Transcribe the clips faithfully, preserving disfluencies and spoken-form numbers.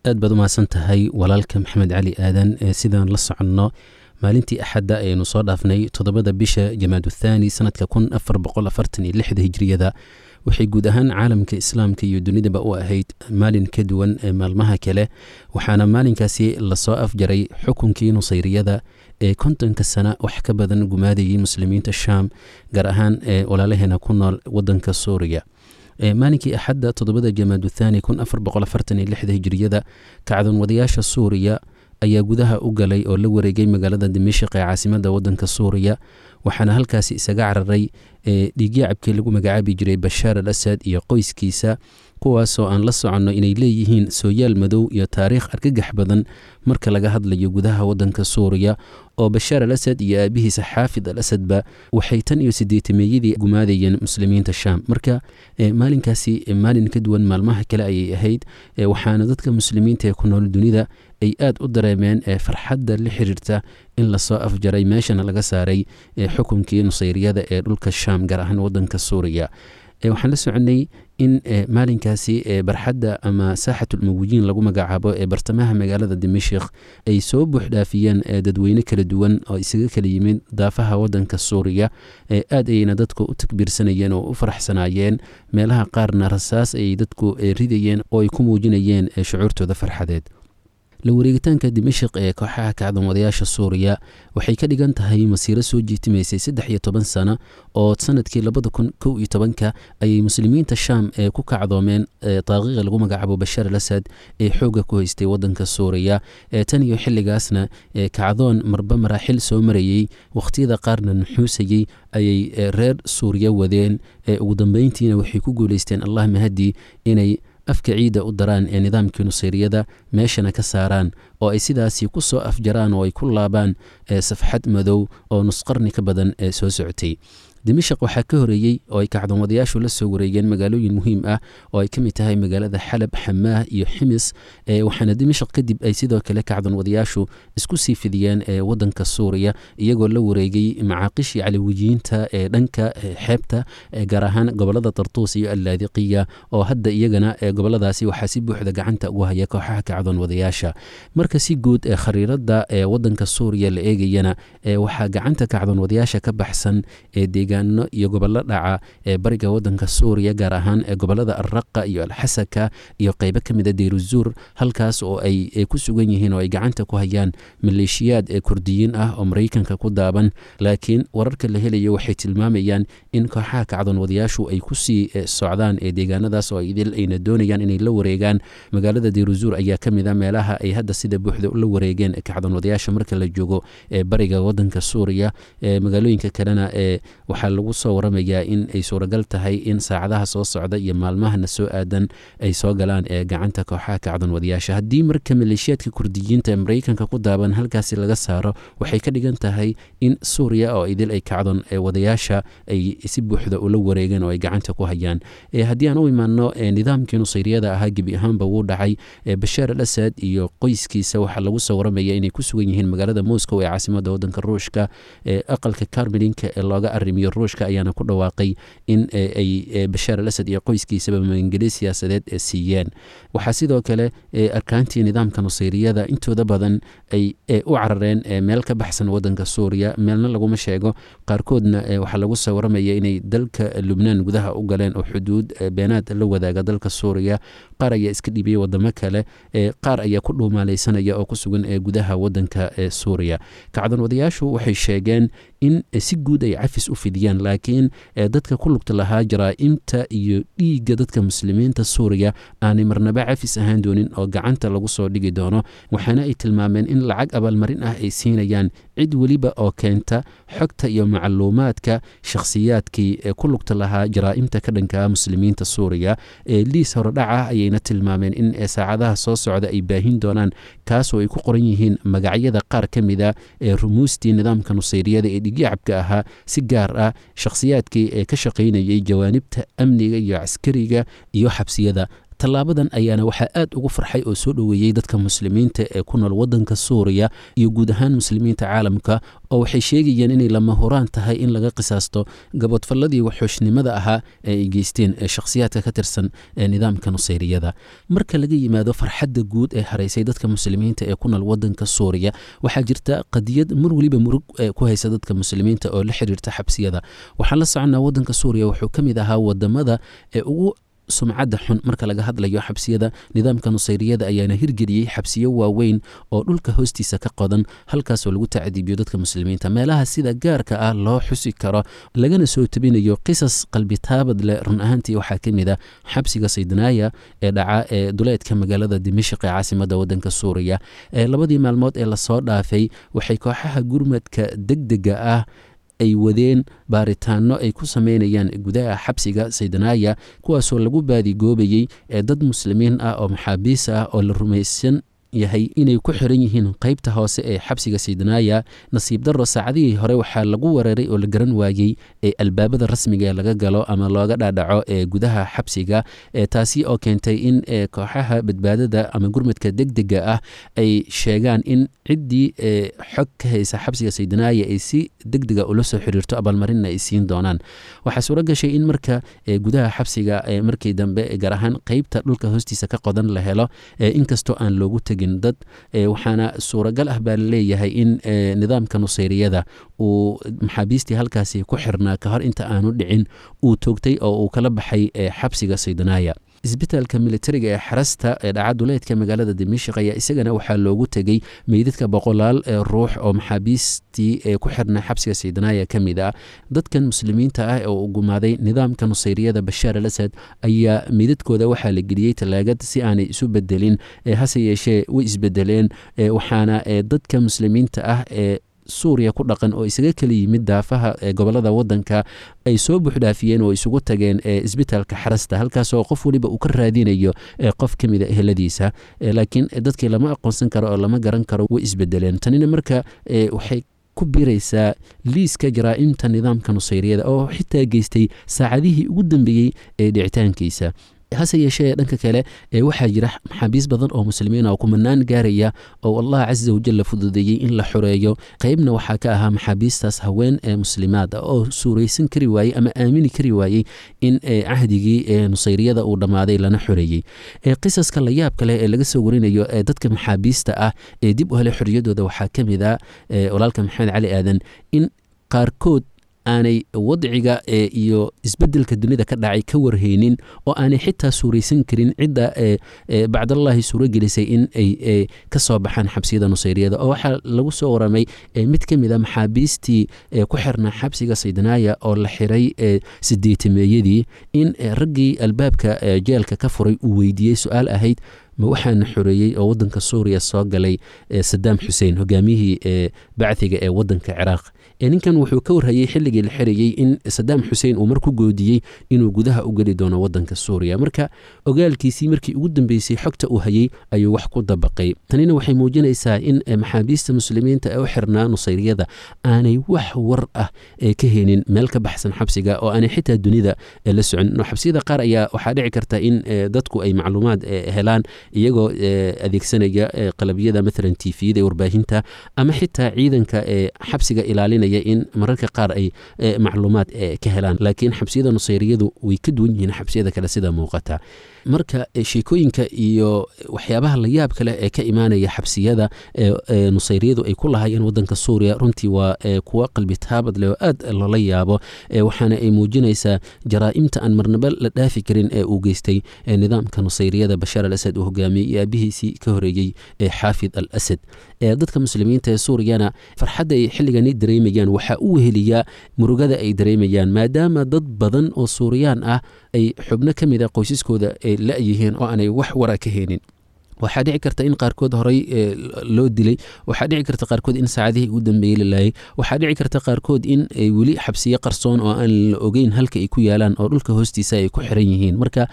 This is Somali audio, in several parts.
Aad baad u mahadsan tahay walaalka Maxamed Cali Aadan. Sidaan la soconno, maalintii Axadda ayaynu soo dhaafnay, toddobada bisha Jamaad Uthaani sanadka kun afar boqol afartan iyo lixda Hijriyada, waxay guud ahaan caalamka Islaamka iyo dunidaba u ahayd maalin ka duwan maalmaha kale. Waxaana maalinkaasi lasoo afjaray xukunkii Nusayriyada ee kontonka sana wax ka badan gumaadayay muslimiinta Shaam, gaar ahaan walaalaheena ku nool wadanka Suuriya. Maalinkii Axadda, toddobada Jamaad Uthaani kun afar boqol afartan iyo lixda Hijriyada, kacdoon wadayaasha Suuriya ayaa gudaha u galay oo la wareegay magaalada Dimashq ee caasimada wadanka Suuriya. Waxaana halkaasi isaga cararay dhiigyacabkii lagu magacaabi jiray Bashaar al Asad iyo qoyskiisa, kuwaasoo aan la soconno inay leeyihiin sooyaal madow iyo taariikh argagax badan marka laga hadlayo gudaha wadanka Suuriya, oo Bashaar al Asad iyo aabihiisa Xaafid al Asadba waxay tan iyo sideetameeyadii gumaadayeen muslimiinta Shaam. Marka maalinkaasi maalin ka duwan maalmaha kale ayay ahayd, waxaana dadka muslimiinta ee ku nool dunida ay aad u dareemeen farxadda la xiriirta in lasoo afjaray, meeshana laga saaray xukunkii Nusayriyada ee dhulka Shaam, gaar ahaan wadanka Suuriya. Waxaan la soconay in maalinkaasi barxadda ama Saaxatulmawiyiin lagu magacaabo ee bartamaha magaalada Dimashik ay soo buuxdhaafiyeen dadweyne kala duwan oo isaga kala yimid daafaha wadanka Suuriya. Aad ayayna dadku u takbiirsanayeen oo u faraxsanaayeen, meelaha qaarna rasaas ayay dadku ridayeen oo ay ku muujinayeen shucuurtooda farxadeed. La wareegitaanka Dimashik ee kooxaha kacdoon wadayaasha Suuriya waxay ka dhigan tahay masiiro soo jiitimaysay saddex iyo toban sano, oo sanadkii labada kun kow iyo tobanka ayay muslimiinta Shaam ee ku kacdoomeen daaqiiqa lagu magacaabo Bashaar al Asad ee xoogga ku haystay wadanka Suuriya. Tan iyo xilligaasna kacdoon marba maraaxil soo marayey, wakhtiyada qaarna nuxuusayey ayay reer Suuriya wadeen. Ugu dambeyntiina waxay ku guuleysteen, Allah mahadi, inay afka ciidda u daraan ee nidaamkii Nusayriyada, meeshana ka saaraan oo ay sidaasi ku soo afjaraan oo ay ku laabaan safxad madow oo nusqarni ka badan ee soo socotay. Dimashaq waxaa ka horeeyey oo ay kacdoonwadayaashu la soo wareegeen magaalooyin muhiim ah oo ay ka mid tahay magaalada Xalab, Xamaah iyo Ximis. Waxaana Dimashaq kadib ay sidoo kale kacdoonwadayaashu isku sii fidiyeen wadanka Suuriya, iyagoo la wareegay macaaqishii Calawiyiinta ee dhanka xeebta, gaar ahaan gobolada Tartuus iyo Allaadiqiya, oo hadda iyagana goboladaasi waxaa si buuxda gacanta ugu haya kooxaha kacdoonwadayaasha. Marka si guud ee khariirada ee wadanka Suuriya la eegayana, waxaa gacanta kacdoonwadayaasha ka baxsan ee deegaano iyo gobollo dhaca ee bariga wadanka Suuriya, gaar ahaan gobolada Alraqa iyo Alxasaka iyo qeybo ka mid a Deyruzuur, halkaas oo ay ku sugan yihiin oo ay gacanta ku hayaan maleeshiyaad ee Kurdiyiin ah oo Maraykanka ku daaban. Laakiin wararka la helayo waxay tilmaamayaan in kooxaha kacdoonwadayaashu ay kusii socdaan ee deegaanadaas oo idil, ayna doonayaan inay la wareegaan. Magaalada Deyruzuur ayaa ka mid a meelaha ay hadda sida buuxda ula wareegeen kacdoonwadayaasha marka la joogo ee bariga wadanka Suuriya. Magaalooyinka kalena ee waxaa lagu soo waramayaa in ay suuragal tahay in saacadaha soo socda iyo maalmahana soo aadan ay soo galaan ee gacanta kooxaha kacdoonwadayaasha. Haddii marka maleeshiyaadka Kurdiyiinta ee Maraykanka ku daaban halkaasi laga saaro, waxay ka dhigan tahay in Suuriya oo idil ay kacdoon wadayaasha ay si buuxda ula wareegeen oo ay gacanta ku hayaan. Haddii aan u imaano nidaamkii Nusayriyada ahaa, gebi ahaanba wuu dhacay. Bashaar al Asad iyo qoyskiisa waxaa lagu soo waramaya inay ku sugan yihiin magaalada Moscow ee caasimada wadanka Ruushka. Aqalka Kremlinka ee looga arrimiyo Ruushka ayaana ku dhawaaqay in ay Bashaar al Asad iyo qoyskiisaba magangeli siyaasadeed siiyeen. Waxaa sidoo kale arkaantii nidaamka Nusayriyada intooda badan ay u carareen meel ka baxsan wadanka Suuriya, meelna laguma sheego. Qaarkoodna waxaa lagu soo waramaya inay dalka Lubnaan gudaha u galeen oo xuduud beenaad la wadaaga dalka Suuriya. Qaar ayaa iska dhibiyey wadamo kale, qaar ayaa ku dhuumaaleysanaya oo ku sugan gudaha wadanka Suuriya. Kacdoon wadayaashu waxay sheegeen in si guud ay cafis u fidiyaan, laakiin dadka ku lugta lahaa jaraa'imta iyo dhiigga dadka muslimiinta Suuriya aanay marnaba cafis ahaan doonin oo gacanta lagu soo dhigi doono. Waxaana ay tilmaameen in lacag abaalmarin ah ay siinayaan cid weliba oo keenta xogta iyo macluumaadka shakhsiyaadkii ku lugta lahaa jaraa'imta ka dhanka muslimiinta Suuriya. Liis horodhac ah ayayna tilmaameen in saacadaha soo socda ay baahin doonaan, kaasoo ay ku qoran yihiin magacyada qaar ka mida ee rumuustii nidaamka Nusayriyada ee dhigyacabka ahaa, si gaar ah shakhsiyaadkii ee ka shaqaynayay jawaanibta amniga iyo caskariga iyo xabsiyada. Tallaabadan ayaana waxaa aad ugu farxay oo soo dhoweeyey dadka muslimiinta ee ku nool waddanka Suuriya iyo guud ahaan muslimiinta caalamka, oo waxay sheegayeen inay lama huraan tahay in laga qisaasto gabodfalladii waxooshnimada ahaa ee ay geysteen shakhsiyaadka ka tirsan nidaamka nusayriyada. Marka laga yimaado farxadda guud ee haraysay dadka muslimiinta ee ku nool waddanka Suuriya, waxaa jirta qadiyad mar weliba murug ku haysa dadka muslimiinta oo la xiriirta xabsiyada. Waxaan la soconnaa waddanka Suuriya wuxuu ka mid ahaa wadamada ee ugu sumcadda xun marka laga hadlayo xabsiyada. Nidaamka nusayriyada ayaana hirgeliyey xabsiyo waaweyn oo dhulka hoostiisa ka qodan, halkaasoo lagu tacdiibiyo dadka muslimiinta. Meelaha sida gaarka ah loo xusi karo lagana soo tabinayo qisas qalbitaabad leh run ahaantii waxaa ka mid ah xabsiga Saydnaaya ee dhaca ee duleedka magaalada Dimashq ee caasimadda waddanka Suuriya. Labadii maalmood ee lasoo dhaafay waxay kooxaha gurmadka degdega ah ay wadeen baaritaano ay ku sameynayaan gudaha xabsiga Saydanaaya, kuwaasoo lagu baadigoobayey ee dad muslimiin ah oo maxaabiis ah oo la rumaysan yahay inay ku xiran yihiin qeybta hoose ee xabsiga Saydanaaya. Nasiib darro, saacadihii hore waxaa lagu weeraray oo la garan waayey ee albaabada rasmiga ee laga galo ama looga dhaadhaco ee gudaha xabsiga, taasi oo keentay in kooxaha badbaadada ama gurmadka degdega ah ay sheegaan in ciddii xog ka haysa xabsiga Saydanaaya ay si degdega ula soo xiriirto, abaalmarinna ay siin doonaan. Waxaa suuro gashay in marka gudaha xabsiga markii dambe gaar ahaan qeybta dhulka hoostiisa ka qodan la helo, inkastoo aan loogu tegin dad. Waxaana suuragal ah baa laleeyahay in nidaamka nusayriyada uu maxaabiistii halkaasi ku xirnaa ka hor inta aanu dhicin uu toogtay oo uu kala baxay xabsiga Saydanaaya. Isbitaalka militariga ee Xarasta ee dhaca duleedka magaalada Dimashq ayaa isagana waxaa loogu tegey meydadka boqolaal ruux oo maxaabiistii ee ku xirnaa xabsiga Saydanaaya ka mid ah. Dadkan muslimiinta ah oo u gumaaday nidaamka nusayriyada Bashaar al Asad ayaa meydadkooda waxaa la geliyey talaagad si aanay isu bedelin, hase yeeshee way isbedeleen. Waxaana dadka muslimiinta ah ee Suuriya ku dhaqan oo isaga kala yimid daafaha gobolada waddanka ay soo buuxdhaafiyeen oo isugu tageen isbitaalka Xarasta, halkaasoo qof weliba uu ka raadinayo qof ka mida eheladiisa, laakiin dadkii lama aqoonsan karo oo lama garan karo, way isbedeleen. Tanina marka waxay ku biiraysaa liiska jaraa'imta nidaamka nusayriyada oo xitaa geystay saacadihii ugu dambeeyey ee dhicitaankiisa. Hase yeeshee dhanka kale waxaa jira maxaabiis badan oo muslimiin oo kumanaan gaaraya oo Allah casa wajal fududeeyey in la xoreeyo. Qeybna waxaa ka ahaa maxaabiistaas haween ee muslimaad ah oo suuraysan kari waayey ama aamini kari waayey in cahdigii nusayriyada uu dhammaaday lana xoreeyey. Qisaska la yaabka leh ee laga soo warinayo ee dadka maxaabiista ah ee dib u helay xorriyadooda waxaa ka mid ah, walaalka Maxamed Cali Aadan, in qaarkood aanay wadciga iyo isbedelka dunida ka dhacay ka warheynin oo aanay xitaa suuraysan karin cidda bacdallaahi suuro gelisay in ay ka soo baxaan xabsiyada nusayriyada. Oo waxaa lagu soo waramay mid ka mid a maxaabiistii ku xirnaa xabsiga Saydanaaya oo la xiray sideetameeyadii in raggii albaabka jeelka ka furay uu weydiiyey su-aal ahayd: ma waxaana xoreeyey oo waddanka Suuriya soo galay Sadaam Xuseen, hogaamiyihii bacdiga ee waddanka Ciraaq? Ninkan wuxuu ka warhayey xilligii la xirayey in Sadaam Xuseen uu mar ku goodiyey inuu gudaha u geli doono waddanka Suuriya. Marka ogaalkiisii markii ugu dambeysay xogta uu hayey ayuu wax ku dabaqay. Tanina waxay muujinaysaa in maxaabiista muslimiinta ee u xirnaa nusayriyada aanay wax war ah ka helin meel ka baxsan xabsiga oo aanay xitaa dunida la socon. Xabsiyada qaar ayaa waxaa dhici karta in dadku ay macluumaad helaan iyagoo adeegsanaya qalabyada maalan tifiyada ee warbaahinta ama xitaa ciidanka ee xabsiga ilaalinaya in mararka qaar ay macluumaad ka helaan, laakiin xabsiyada nusayriyadu way ka duwan yihiin xabsiyada kale sida muuqata. Marka sheekooyinka iyo waxyaabaha la yaabka leh ee ka imaanaya xabsiyada nusayriyadu ay ku lahaayeen waddanka Suuriya runtii waa kuwa qalbi taabad leh oo aad loola yaabo, waxaana ay muujinaysaa jaraa'imta aan marnaba la dhaafi karin ee uu geystay nidaamka nusayriyada Bashaar al Asad uu hogaamiyey iyo aabihiisii ka horeeyey ee Xaafid al Asad. Dadka muslimiinta ee Suuriyana farxadda ay xilligani dareemayaan waxaa u weheliyaa murugada ay dareemayaan, maadaama dad badan oo Suuriyaan ah ay xubno ka mid a qoysaskooda ay la-yihiin oo aanay wax wara ka heenin. Waxaa dhici karta in qaarkood horey loo dilay, waxaa dhici karta qaarkood in saacadihii ugu dambeeyey la laayay, waxaa dhici karta qaarkood in ay weli xabsiyo qarsoon oo aan la ogeyn halka ay ku yaalaan oo dhulka hoostiisa ay ku xiran yihiin. Marka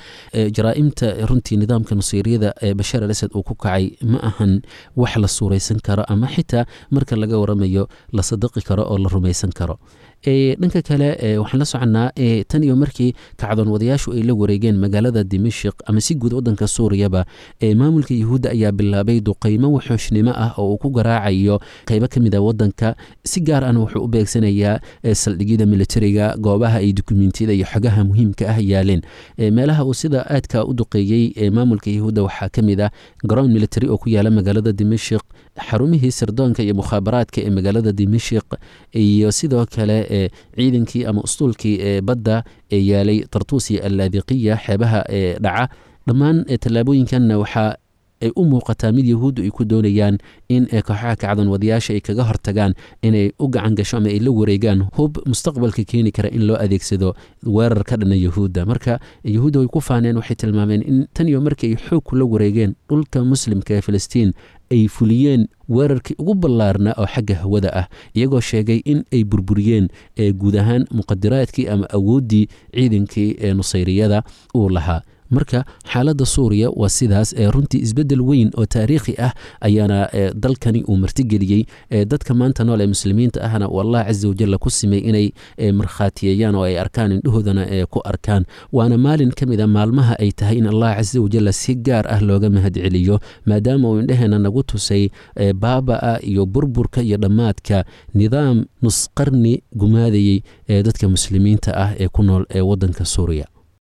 jaraa'imta runtii nidaamka nusayriyada ee Bashaar al Asad uu ku kacay ma ahan wax la suuraysan karo ama xitaa marka laga waramayo la sadaqi karo oo la rumaysan karo. Dhanka kale waxaan la soconnaa tan iyo markii kacdoon wadayaashu ay la wareegeen magaalada Dimashik ama si guud wadanka Suuriyaba, maamulka Yuhuudda ayaa bilaabay duqeymo wuxuushnimo ah oo uu ku garaacayo qeybo ka mid a wadanka. Si gaar ahna wuxuu u beegsanayaa saldhigyada militariga, goobaha ay dukumentiyada iyo xogaha muhiimka ah yaaleen. Meelaha uu sida aadka u duqeeyey maamulka Yuhuudda waxaa ka mid ah garoon military oo ku yaala magaalada Dimashik, xarumihii sirdoonka iyo mukhaabaraadka ee magaalada Dimashik, iyo sidoo kale ciidankii ama ustuulkii ee badda ee yaalay Tartuus iyo Allaadiqiya, xeebaha ee dhaca. Dhammaan tallaabooyinkanna waxaa ay u muuqataa mid Yahuuddu ay ku doonayaan in kooxaha kacdan wadayaasha ay kaga hortagaan inay u gacan gasho ama ay la wareegaan hub mustaqbalka keeni kara in loo adeegsado weerar ka dhana Yahuudda. Marka Yahuudda way ku faaneen, waxay tilmaameen in tan iyo markii ay xoog kula wareegeen dhulka muslimka ee Filistiin ay fuliyeen weerarkii ugu ballaarnaa oo xagga hawada ah, iyagoo sheegay in ay burburiyeen guud ahaan muqadiraadkii ama awooddii ciidankii ee nusayriyada uu lahaa. Marka xaaladda Suuriya waa sidaas. Ee runtii isbeddel weyn oo taariikhi ah ayaana dalkani uu martigeliyey. Dadka maanta nool ee muslimiinta ahna uu Allah casa wajalla ku simay inay markhaatiyeeyaan oo ay arkaan, indhahoodana ku arkaan. Waana maalin ka mid a maalmaha ay tahay in Allah casa wajalla si gaar ah looga mahadceliyo, maadaama uu indhaheena nagu tusay baaba'a iyo burburka iyo dhammaadka nidaam nusqarni gumaadayey ee dadka muslimiinta ah ee ku nool ee waddanka Suuriya.